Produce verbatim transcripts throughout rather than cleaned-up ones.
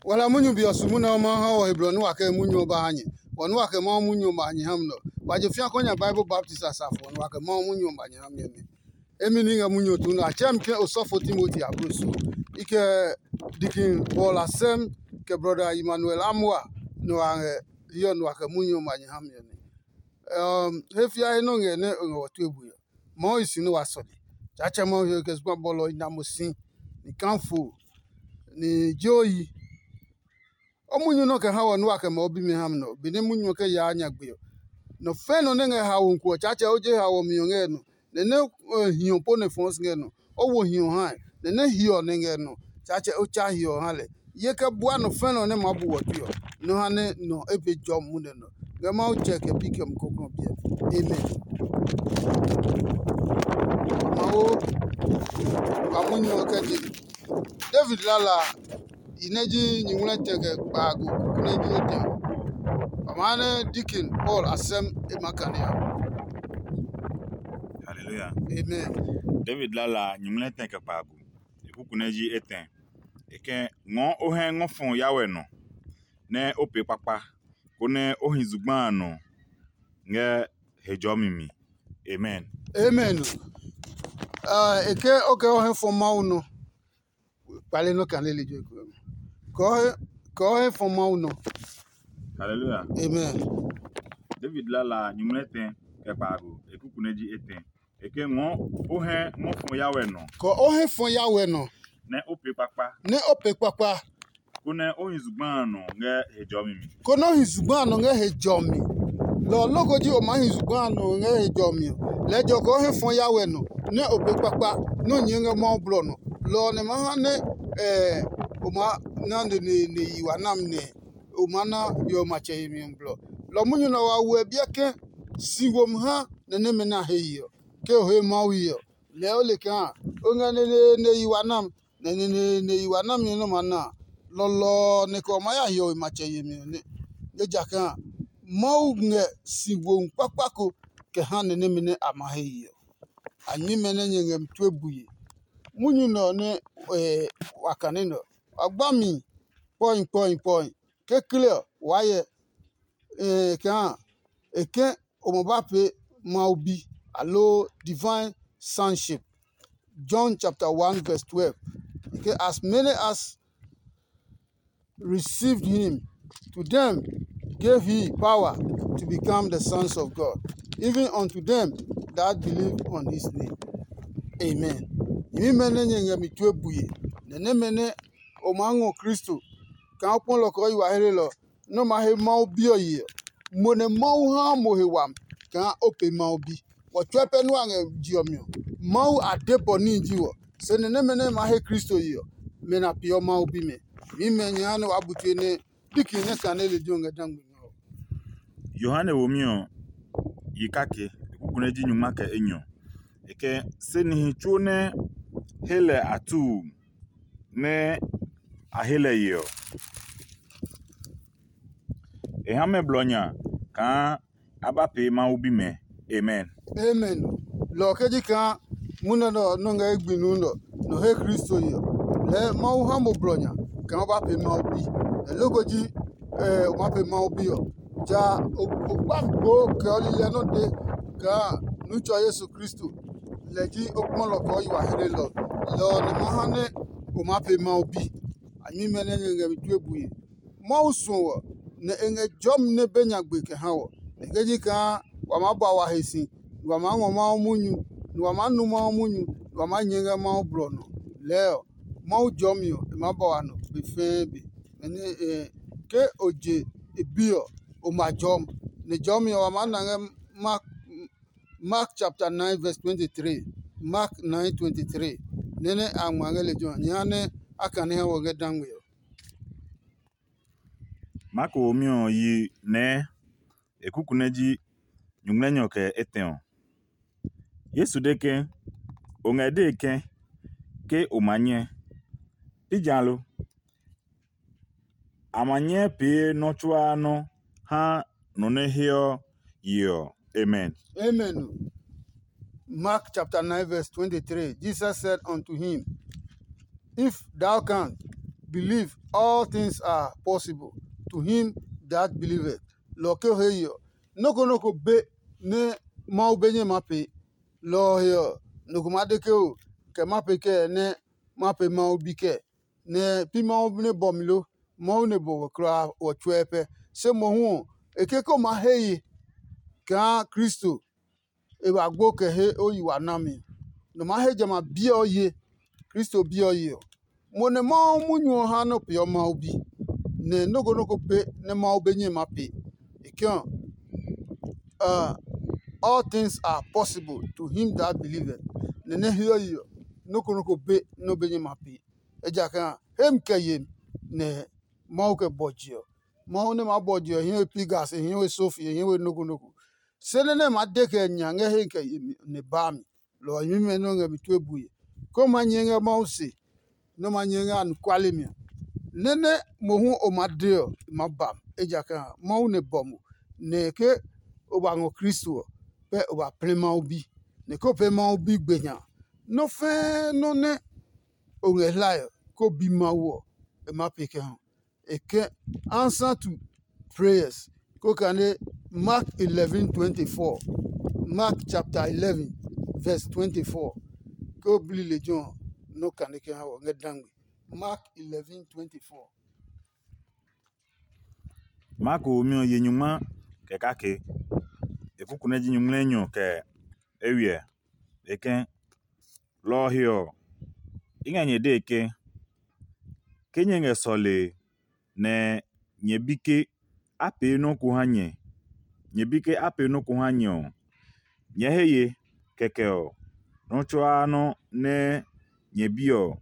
Wala munyu be ɔ su munɛ ɔ Mawu ha wɔ he blɔ nɛ wa kɛ munyu ɔ ba ha nyɛ. Wɔ nɛ wa kɛ Mawu munyu ɔ ba ha nyɛ ha mi nɛ ɔ, wa je fĩa kɔ nya Bible baptist a safo ɔ, nɛ wa kɛ Mawu munyu ɔ ba nyɛ ha mi ɔ nɛ. Emi ní ngɛ munyu ɔ tu nɛ a tsɛɛ mi ke osɔfo Timoti ablo so. I kɛ Dikin Paul Asɛm, kɛ brɔda Emmanuel Amua, nɛ wa ngɛ hiɔ nɛ wa kɛ munyu ɔ ba nyɛ ha mi ɔ nɛ. He fiae nɔ ngɛ nɛ o ngɛ wɔ tue bue ɔ, Mawu hi si nɛ wa sɔle. Tsaatsɛ Mawu he kɛ zugba bɔlɔ i na mo si, ni kafo, ni jeoyi. O munyu nɔ kɛ ha wɔ nua kɛ ma o bimi ha mi nɔ, benɛ munyu ɔ kɛ yaa nyagbe ɔ. Nɔ fɛ̃ nɔ nɛ ngɛ haomi ko ɔ, Tsaatsɛ o je haomi ɔ ngɛ nɔ, nɛ nɛ hiɔ po nɛ fɔɔ si ngɛ nɔ. O wo hiɔ hae, nɛ nɛ hiɔ nɛ ngɛ nɔ, Tsaatsɛ o tsa hiɔ ha lɛ. Ye kɛ bua nɔ fɛ̃ nɔ nɛ maa bu wɔ tue ɔ, nɔ ha nɛ nɔ e be jɔ munɛ nɔ. Ngɛ Mawu tsɛ kɛ bi kɛ mu kɔklɔ biɛ. Amen. Mawu wa munyu ɔ kɛ je. David lala a, i nɛ ji nyuŋmlɛtɛ kɛ kpaago kuku nɛ ji etɛ ɔ. Wa maa nɛ Deacon Paul Asɛm e ma kane a. Hallelujah. Amen. David lala a, nyuŋmlɛtɛ kɛ kpaago, e kuku nɛ ji etɛ. E kɛ ngɔɔ o hɛ ngɔ fɔ yawɛ nɔ, nɛ o pee kpakpa, konɛ o hi zugba a nɔ ngɛ he jɔmi mi. Amen. Amen. Ah, e ke o kɛ o hɛ fɔ Mawu nɔ. Kpale nɔ kane lejɛ ko. Kɛ o hɛ fɔ Mawu nɔ. Hallelujah. Amen. David lala nyuŋmlɛtɛ kɛ kpaago, e kuku nɛ ji etɛ. E ke ngɔ o hɛ ngɔ fɔ yawɛ nɔ. Kɛ o hɛ fɔ yawɛ nɔ. Nɛ o pee kpakpa. Nɛ o pee kpakpa. Konɛ o hi zugba a nɔ ngɛ he jɔmi mi. Konɛ o hi zugba a nɔ ngɛ he jɔmi. Lɔ ɔ loko ji o maa hi zugba a nɔ ngɛ he jɔmi ɔ, lɛɛ jɔ kɛ o hɛ fɔ yawɛ nɔ, nɛ o pee kpakpa, nɛ o nyɛɛ ngɛ Mawu blɔ nɔ. Lɔ ɔ nɛ ma ha nɛ o ma na neneene yi wa nami nɛ o maa na yo matsɛ yemi ɔ blɔ. Lɔ munyu nɛ wa wo ɛ biɛ ke si womi ha nɛ nɛmɛ nɛ a he ye ɔ, ke o he Mawu ye ɔ, lɛɛ o le kaa o ngɛ neneene yi wa nami, nɛ neneene yi wa nami nɛ nɔ ma na a, lɔlɔ ɔ nɛ kɛ o maa ya hiɔwe matsɛ yemi ɔ nɛ. Ejakaa Mawu ngɛ si womi kpakpa ko kɛ ha nɛ nɛmɛ nɛ a ma he ye ɔ. A nyɛmimɛ nɛ nyɛ ngɛ mi tue bue. Munyu nɛ ɔ nɛ wa kane nɛ ɔ, wa gba mi kpɔhi kpɔhi kpɔhi. Kekle ɔ, waa hyɛ kaa e ke o ma ba pee Mawu bi, aloo divine sonship. John chapter one verse twelve. E ke, as many as received him, to them gave he power to become the sons of God, even unto them that believe on his name. Amen. Nyɛmimɛ nɛ nyɛ ngɛ mi tue bue, nɛ nɛmɛ nɛ o maa ngɔ Kristo kaa o kpɔ lɔ kɛ o yi wa hlelɔ nɛ o maa he Mawu Bi ɔ ye ɔ, mo nɛ Mawu haa mo he wami kaa o pee Mawu Bi. Wɔ tsuɛ pɛ nua ngɛ je ɔ mi ɔ, Mawu a de bɔ níhi ji wɔ. Se nɛ nɛmɛ nɛ ma he Kristo ye ɔ, mɛ na peeɔ Mawu bimɛ. Mimɛ nyɛ ha nɛ waa bu tue nɛ Diki nyɛ sane lejɛ ɔ ngɛ dangme ngɛ ɔ. Yohane womi ɔ yi kake, e kuku nɛ ji nyungma kɛ enyɔ. E kɛ se nihi tsuo nɛ he lɛ a tuu nɛ a he lɛ ye ɔ, e ha mɛ blɔ nya kaa a ba pee Mawu bimɛ. Amen. Amen. Lɔ ɔ ke ji kaa munɛ nɛ ɔ nɔ́ ngɛ ye gbi nuu nɛ ɔ, nɔ he Kristo ye ɔ, lɛɛ Mawu ha mo blɔ nya kaa o ba pee Mawu bi. Nɛ loko ji o maa pee Mawu bi ɔ, ja o kpa gbo kɛ ɔ lilɛ nɔ́ de kaa nu tsɔ Yesu Kristo, lɛ ji o kpɔlɔ kɛ o yi wa hlelɔ. Lɔ ɔ nɛ ma ha nɛ o maa pee Mawu bi. A nyɛmimɛ nɛ nyɛ ngɛ mi tue bue. Mawu suɔ wɔ, nɛ e ngɛ jɔmi nɛ be nyagbe kɛ ha wɔ. Nɛ ke ji kaa wa maa ba wa he si, nɛ wa maa ngɔ Mawu munyu, nɛ wa maa nu Mawu munyu, nɛ wa maa nyɛ ngɛ Mawu blɔ nɔ. Lɛɛ ɔ, Mawu jɔmi ɔ, e maa ba wa nɔ be fɛɛ be. Benɛ ke o je e Bi ɔ, o ma jɔmi. Nɛ jɔmi ɔ, wa maa na ngɛ Mark, Mark chapter nine verse twenty-three. Mark nine twenty-three. Nɛ nɛ a ngma ngɛ lejɛ ɔ, nyɛ ha nɛ a kane ha wɔ ngɛ dangme ɔ. Marko womi ɔ yi nɛɛ e kuku nɛ ji nyuŋmlɛnyɔ kɛ etɛ ɔ. Yesu de ke, o ngɛ dee ke, ke o ma nyɛ. Pi ja lo? A ma nyɛ pee nɔ́ tsuaa nɔ́ ha nɔ nɛ heɔ ye ɔ. Amen. Amen. Mark chapter nine verse twenty-three. Jesus said unto him, if thou canst, believe all things are possible to him that believeth. Lɔ ke he yeɔ, nɔ́ ko nɔ́ ko be nɛ Mawu be nyɛ maa pee. Lɔ ɔ he ɔ, nɔ ko maa de ke o kɛ ma pee kɛɛ nɛ ma pee Mawu bi kɛɛ, nɛ pi Mawu nɛ bɔ mi lo? Mawu nɛ bɔ wɔ kulaa wɔ tsuɛ pɛ. Se mohu ɔ, e ke ko maa he ye kaa Kristo e ba gbo kɛ he o yi wa nami. Nɔ maa he jamɛ a biɛ ɔ ye, Kristo biɛ ɔ ye ɔ. Mo nɛ Mawu munyu ɔ ha nɔ peeɔ Mawu bi, nɛ nɔ́ ko nɔ́ ko pee nɛ Mawu be nyɛ ma pee. E ke ɔ, uh, all things are possible to him that believeth. Nɛ nɛ hiɔ yi ɔ, nɔ́ ko nɔ́ ko be nɛ o be nyɛ ma pee. Ejakaa a, hemi kɛ yemi nɛ Mawu kɛ bɔji ɔ. Mawu nɛ maa bɔji ɔ, e hɛɛ we Pigas, e hɛɛ we Sofi, e hɛɛ we nɔ́ ko nɔ́ ko. Se nɛ nɛ e maa de kɛ nya ngɛ hemi kɛ yemi nɛ baa mi. Lɔ ɔ nyɛmimɛ nɛ o ngɛ mi tue bue, ke o maa nyɛɛ ngɛ Mawu se, nɛ o maa nyɛɛ ngɛ anɔkuale mi ɔ, nɛ nɛ mohu o maa de ɔ, e maa ba mo, ejakaa a, Mawu nɛ bɔ mo, nɛ ke o ba ngɔ Kristo ɔ, pɛ o ba plɛ Mawu bi, nɛ ke o pee Mawu bi gbe nya a, nɔ́ fɛ́ɛ́ nɔ́ nɛ o ngɛ hlae ɔ, ke o bi Mawu ɔ, e maa pee kɛ ha. E ke answer to prayers. Ko kane Mark eleven twenty-four. Mark chapter eleven, verse twenty-four. Ke o bli lejɛ ɔ, nɔ kane kɛ ha wɔ ngɛ dangbe. Mark eleven twenty-four. Marko womi ɔ ye nyungma kɛ kake. E kuku nɛ ji nyungmlɛnyɔ kɛ eywiɛ. E ke, lɔ ɔ he ɔ, i ngɛ nyɛ dee ke, ke nyɛ ngɛ sɔlee nɛ nyɛ bi ke a pee nɔ́ ko ha nyɛ, nyɛ bi ke a pee nɔ́ ko ha nyɛ ɔ, nyɛɛ he ye. Kɛkɛ ɔ, nɔ́ tsuaa nɔ́ nɛ nyɛ bi ɔ,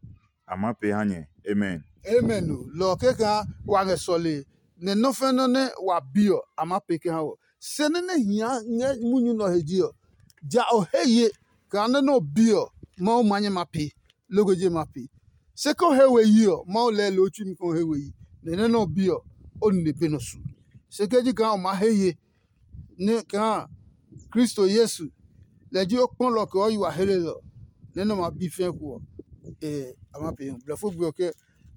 a maa pee ha nyɛ. Amen. Amen o. Lɔ ɔ kɛkaa wa ngɛ sɔlee, nɛ nɔ́ fɛnɛ nɛ wa bi ɔ, a maa pee kɛ ha wɔ. Se nɛ nɛ hia ngɛ munyu nɛ ɔ he ji ɔ, ja o he ye kaa nɛ nɛ o bi ɔ, Mawu ma nyɛ ma pee, loko je ma pee. Se ke o he we yi ɔ, Mawu lɛɛ loo tsui mi ke o he we yi, nɛ nɛ nɛ o bi ɔ, o nine be nɔ su. Se ke ji kaa o maa he ye, nɛ kaa Kristo Yesu, lɛ ji o kpɔlɔ kɛ o yi wa helelɔ, nɛ nɛ o ma bi fɛɛ ko ɔ, e a ma pee hu. Blɛfo gbe ɔ ke,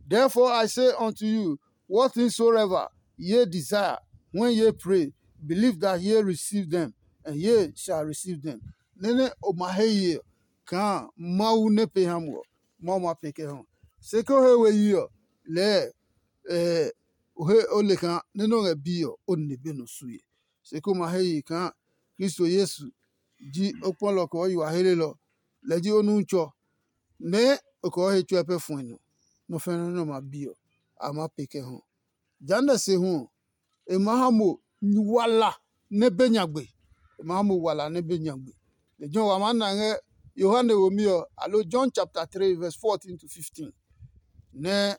"Therefore I say unto you, what things soever ye desire, when ye pray, believe that ye receive them, and ye shall receive them." Nɛ nɛ o ma he ye ɔ, kaa Mawu nɛ pe ha mo ɔ, Mawu ma pee kɛ ha o. Se ke o he we yi ɔ, lɛɛ o he o le kaa nɛ nɛ o ngɛ bi ɔ, o nine be nɔ sue. Se ke o ma he ye kaa Kristo Yesu ji o kpɔlɔ kɛ o yi wa helelɔ, lɛ ji o Nutsɔ, nɛ o kɛ o he tsuɛ pɛ fuɛ nɔ, nɔ fɛnɛ nɛ o ma bi ɔ, a maa pee kɛ ha o. Jehanɛ se hu ɔ, e maa ha mo wala nɛ be nyagbe. E maa ha mo wala nɛ be nyagbe. Lejɛ ɔ wa maa na ngɛ Yohane womi ɔ, alo John chapter three verse fourteen to fifteen. Nɛ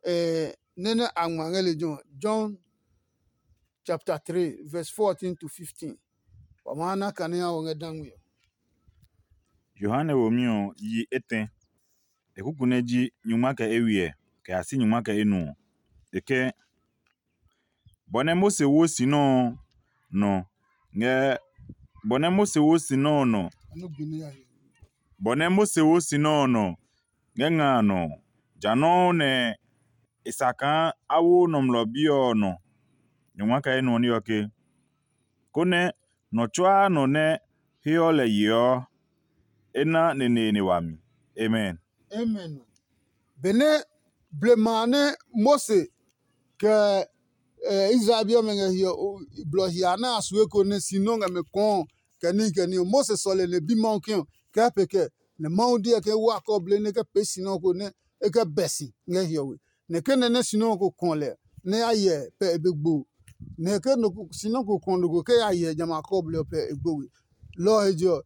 eh, nɛ nɛ a ngma ngɛ lejɛ ɔ, John chapter three verse fourteen to fifteen. Wa maa na kane ha wɔ ngɛ dangme ɔ. Yohane womi ɔ yi etɛ. E kuku nɛ ji nyungma kɛ eywiɛ kɛ ya si nyungma kɛ enuɔ. E ke, bɔ nɛ Mose wo si nɛ ɔ nɔ ngɛ bɔ nɛ Mose wo si nɛ ɔ nɔ bɔ nɛ Mose wo si nɛ ɔ nɔ ngɛ nga a nɔ ɔ, ja nɔuu nɛ e sa kaa a wo Nɔmlɔ Bi ɔ nɔ. Nyɔngma kɛ enɛ ɔ ní ɔ ke, konɛ nɔ tsuaa nɔ nɛ heɔ lɛ yeɔ ɔ, e na neneene wami. Amen. Amen. Benɛ blema a nɛ Mose kɛ Israel bi ɔmɛ ngɛ hiɔ blɔ hia nɛ a su eko nɛ si nɔ́ ngɛ mɛ kɔɔ kɛ níhi kɛ ní ɔ, Mose sɔle nɛ bi Mawu ke ɔ, kɛ pe kɛ, nɛ Mawu diɛ ke wa kɔbli nɛ e kɛ pee si nɔ́ ko nɛ e kɛ bɛ si ngɛ hiɔwe. Nɛ ke nɛ nɛ si nɔ́ ko kɔn lɛ nɛ ya hyɛ pɛ e be gbo. Nɛ ke si nɔ́ ko kɔn nɔ ko ke ya hyɛ jamɛ a kɔbli ɔ pɛ e gbo we. Lɔ ɔ he je ɔ,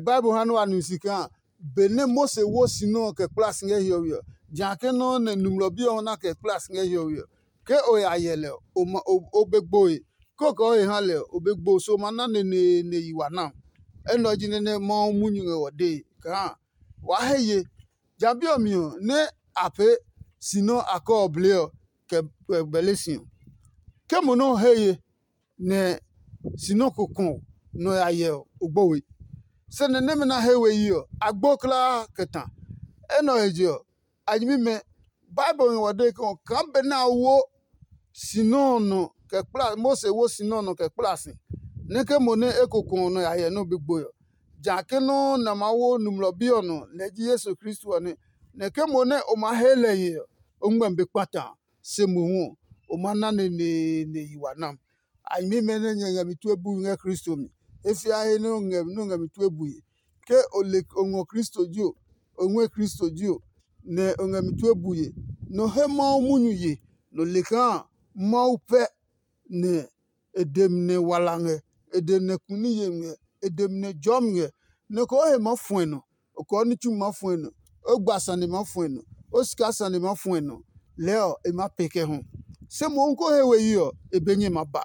Bible ha nɛ wa nu si kaa benɛ Mose wo si nɔ́ ɔ kɛ kpla si ngɛ hiɔwe ɔ, ja ke nɔ́ nɛ Nɔmlɔ Bi ɔ na kɛ kpla si ngɛ hiɔwe ɔ, ke o ya hyɛ lɛ ɔ, o be gboe. Ke o kɛ o he ha lɛ ɔ, o be gbo so ma na neneene yi wa na. Enɛ ɔ ji nɛ nɛ Mawu munyu ngɛ wɔ dee kaa waa he ye. Ja bi ɔ mi ɔ, nɛ a pee si nɔ́ a kɔɔ blee ɔ kɛ bɛle si ɔ, ke mo nɔ́ he ye nɛ si nɔ́ ko kɔn nɔ ya hyɛ ɔ, o gbo we. Se nɛ nɛmɛ nɛ a he we yi ɔ, a gbo kulaa kɛ ta. Enɛ ɔ he je ɔ, a nyɛmimɛ Bible ngɛ wa dee ke ɔ kaa benɛ a wo si nɛ ɔ nɔ kɛ kpla Mose wo si nɛ ɔ nɔ kɛ kpla si, nɛ ke mo nɛ e ko kɔ ɔ nɔ ya hyɛ nɛ o be gbo ɔ. Ja ke nɔ́ nɛ a maa wo Nɔmlɔ Bi ɔ nɔ, lɛ ji Yesu Kristo ɔ nɛ. Nɛ ke mo nɛ o maa he lɛ ye ɔ, o ngmɛmi be kpata a, se mohu ɔ, o maa na neneene yi wa nam. A nyɛmimɛ nɛ nyɛ ngɛ mi tue bui ngɛ Kristo mi. E fia he nɛ o ngɛ mi nɛ o ngɛ mi tue bui. Ke o le o ngɔ Kristo ji o, o ngɔɛ Kristo ji o, nɛ o ngɛ mi tue bui ye, nɔ he Mawu munyu ye, nɔ le kaa Mawu pɛ nɛ e de mi nɛ wala ngɛ, e de mi nɛ kuni yemi ngɛ, e de mi nɛ jɔmi ngɛ, nɛ ko he maa fuɛ nɔ, o kɔɔ ní tsumi maa fuɛ nɔ, o gba sane maa fuɛ nɔ, o sika sane maa fuɛ nɔ, lɛɛ ɔ, e maa pee kɛ hu. Se mohu ko he we yi ɔ, e be nyɛ ma ba.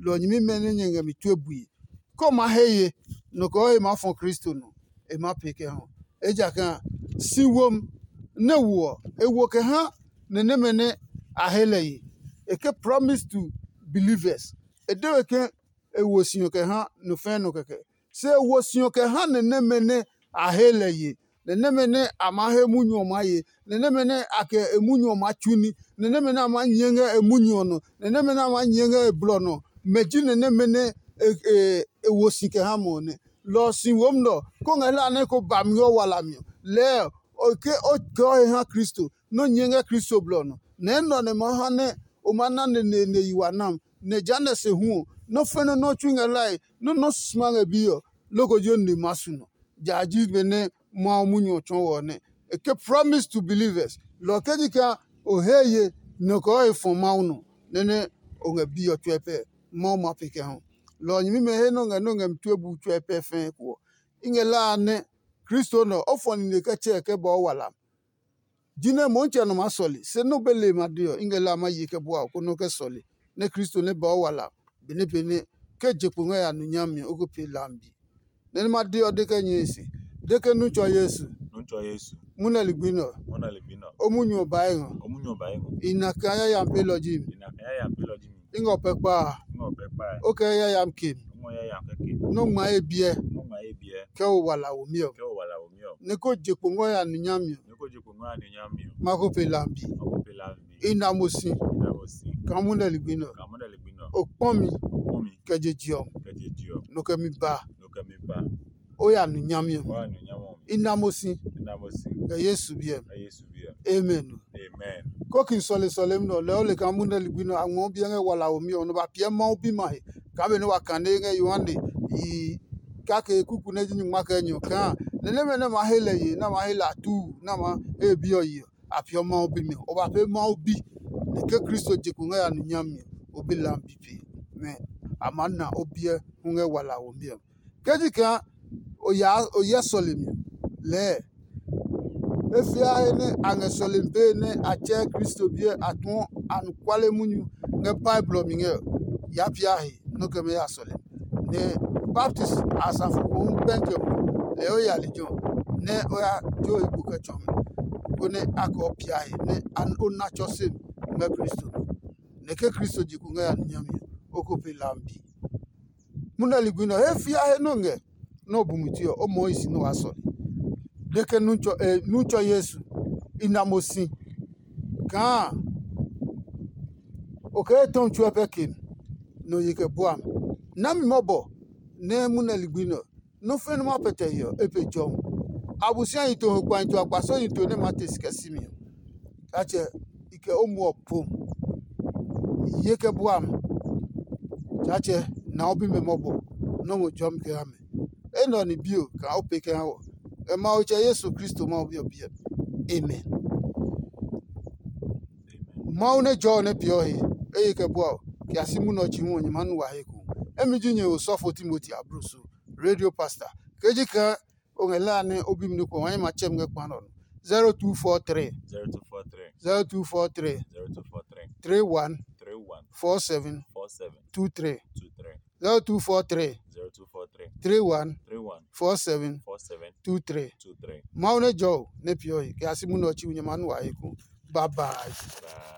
Lɔ ɔ nyɛmimɛ nɛ nyɛ ngɛ mi tue bui. Ke o maa he ye, nɔ kɔɔ e maa fɔ Kristo nɔ, e maa pee kɛ hu. Ejakaa a, si womi nɛ wo ɔ, e wo kɛ ha nɛ nɛmɛ nɛ a he lɛ ye. E ke promise to believers. E de we ke e wo si ɔ kɛ ha nɔ fɛɛ nɔ kɛkɛ. Se e wo si ɔ kɛ ha nɛ nɛmɛ nɛ a he lɛ ye, nɛ nɛmɛ nɛ a maa he munyu ɔ maa ye, nɛ nɛmɛ nɛ a kɛ e munyu ɔ maa tsu ní, nɛ nɛmɛ nɛ a maa nyɛɛ ngɛ e munyu ɔ nɔ, nɛ nɛmɛ nɛ a maa nyɛɛ ngɛ e blɔ nɔ. Mɛ ji nɛ nɛmɛ nɛ e e e wo si kɛ ha mɔ ɔ nɛ. Lɔ ɔ si womi nɛ ɔ, ko ngɛ hlaa nɛ ko ba mi ngɛ o walami ɔ, lɛɛ ɔ ke o kɛɔ he ha Kristo, nɛ o nyɛɛ ngɛ Kristo blɔ ɔ nɔ. Nɛ enɛ ɔ nɛ ma ha nɛ o maa na neneene yi wa nam, nɛ jehanɛ se hu ɔ, nɔ́ fɛnɛ nɔ́ tsui ngɛ hlae, nɔ́ nɔ́ sma ngɛ biɛ ɔ, loko ji o nine maa su nɔ. Ja ji benɛ Mawu munyu ɔ tsɔɔ wɔ ɔ nɛ. E ke promise to believers. Lɔ ɔ ke ji kaa o he ye nɔ kɔɔ e fɔ Mawu nɔ, nɛ nɛ o ngɛ biɛ ɔ tsuɛ pɛ, Mawu ma pe kɛ hu. Lɔ ɔ nyɛmimɛ he nɛ o ngɛ nɛ o ngɛ mi tue bu tsuɛ pɛ fɛɛ ko ɔ, i ngɛ hlaa nɛ Kristo nɛ ɔ, o fɔ nine kɛ tsɛɛ kɛ ba o wala. Jinɛ Mɔntsɛ nɔ maa sɔle, se nɔ́ be le ma de ɔ, i ngɛ la ma ye kɛ bua o konɛ o kɛ sɔle, nɛ Kristo nɛ ba o wala benɛ benɛ ke je kpo ngɛ ya nu nyami ɔ, o ko pee lambi. Nɛ nɛ ma de ɔ de kɛ nyɛe se, de ke nu tsɔ Yesu, Nuntsɔ Yesu, munɛ ligbi nɛ ɔ, mɔna ligbi nɔ. O munyu ɔ bae ngɔ. Omunyo ba ego. I na kaa yayami pelɔ ji mi. Ina kaya ya pelɔ ji mi. I ngɔ pɛ kpa a, Ngo pɛ kpa. O kɛ yayami ke mi. Ngo ya ya keke. Nɔ ngma ye biɛ Mo ma ye biɛ. Kɛ o wala wo mi ɔ. Ke o wala wo mi o. Nɛ ko je kpo ngɔ ya nu nyami ɔ. Niko je ko ngo ani nyami o. Ma ko pe lambi. Ako pe la mi. I na mo si Ina mo si. Kaa munɛ ligbi nɛ ɔ. Ka mo da ligbi nɔ. O kpɔ mi Omi. Kɛ je je ɔ. Kɛ je ji o. Nɔ kɛ mi ba. No kɛ mi ba. O ya nu nyami ɔ. Wa nu nyamo mi. I na mo si Ina mo si. Kɛ Yesu biɛ. Ka Yesu biɛ. Amen. Amen. Kokin sɔle sɔlemi nɛ ɔ lɛɛ o le kaa munɛ ligbi nɛ a ngmɛɔ biɛ ngɛ wala womi ɔ nɔ ba piɛ Mawu bi ma he kaa benɛ wa kane ngɛ Yohane yi kake kuku nɛ ji nyungma kɛ nyɔ kaa nɛ nɛmɛ nɛ ma he lɛ ye nɛ ma he lɛ atuu nɛ ma he bi ɔ yi ɔ, a piɔ Mawu bi mi ɔ. O ba pee Mawu bi nɛ ke Kristo je kpo ngɛ ya nu nyami ɔ, o bi lam bi pe nɛ a maa na o biɛ hu ngɛ wala womi ɔ. Ke ji kaa o ya o hyɛ sɔlemi ɔ, lɛɛ e fiae nɛ a ngɛ sɔlemi pee nɛ a tsɛɛ Kristo biɛ a tuɔ anɔkuale munyu ngɛ Bible ɔ mi ngɛ ɔ, yaa pia he nɔ́ kɛ mɛ ya sɔlemi. Nɛ baptisi a safo ko hu bɛnkɛ mo lɛ o ya lejɛ ɔ, nɛ o ya jo e gbo kɛ tsɔ mi, konɛ a kɛ o pia he nɛ o na tsɔ se mi ngɛ Kristo mi. Nɛ ke Kristo je kpo ngɛ ya nu nyami ɔ, o ko pe lambi. Munɛ ligbi nɛ ɔ, he fia he nɔ ngɛ nɛ o bu mi tue ɔ, o mɔɔ i si nɛ o waa sɔle. De ke nu tsɔ e nu tsɔ Yesu, i na mo si kaa o kɛ etɔmi tsuɛ pɛ ke mi, nɛ o ye kɛ bua mi. Nami mɔbɔ nɛ munɛ ligbi nɛ ɔ, nɔ́ fɛnɛ ma pɛtɛ he ɔ, e pe jɔmi. Abosiahi to ho kpahi to akpasɔhi to nɛ maa te si kɛ si mi ɔ. Atsɛ i kɛ o muɔ po ye kɛ bua mi. Tsaatsɛ na o bimɛ mɔbɔ nɔ́ ngɔ jɔmi kɛ ha mɛ. Enɛ ɔ ni bio kaa o pee kɛ ha wɔ. Ngɛ Mawu tsɛ Yesu Kristo Mawu bi ɔ biɛ mi. Amen. Mawu nɛ jɔ ɔ nɛ peeɔ he, eye kɛ bua ɔ, kɛ ya si munɛ ɔ chi hu ɔ, nyɛ maa nu wa he ko. Emi ji nyɛ osɔfo Timoti abloso, radio pastor. Ke ji kaa o ngɛ la nɛ o bi mi nukɔ wa nyɛ ma tsɛ mi ngɛ kpa nɔ. Zero two four three, zero two four three, zero two four three, zero two four three, three one, three one, four seven, four seven, two three, two three, zero two four three, zero two four three, three one, three one, four seven, four seven, two three, two three. Mawu nɛ jɔ o nɛ peeɔ he kɛ ya si munɛ ɔ chi hu nyɛ maa nu wa he ko. Bye bye. Bye.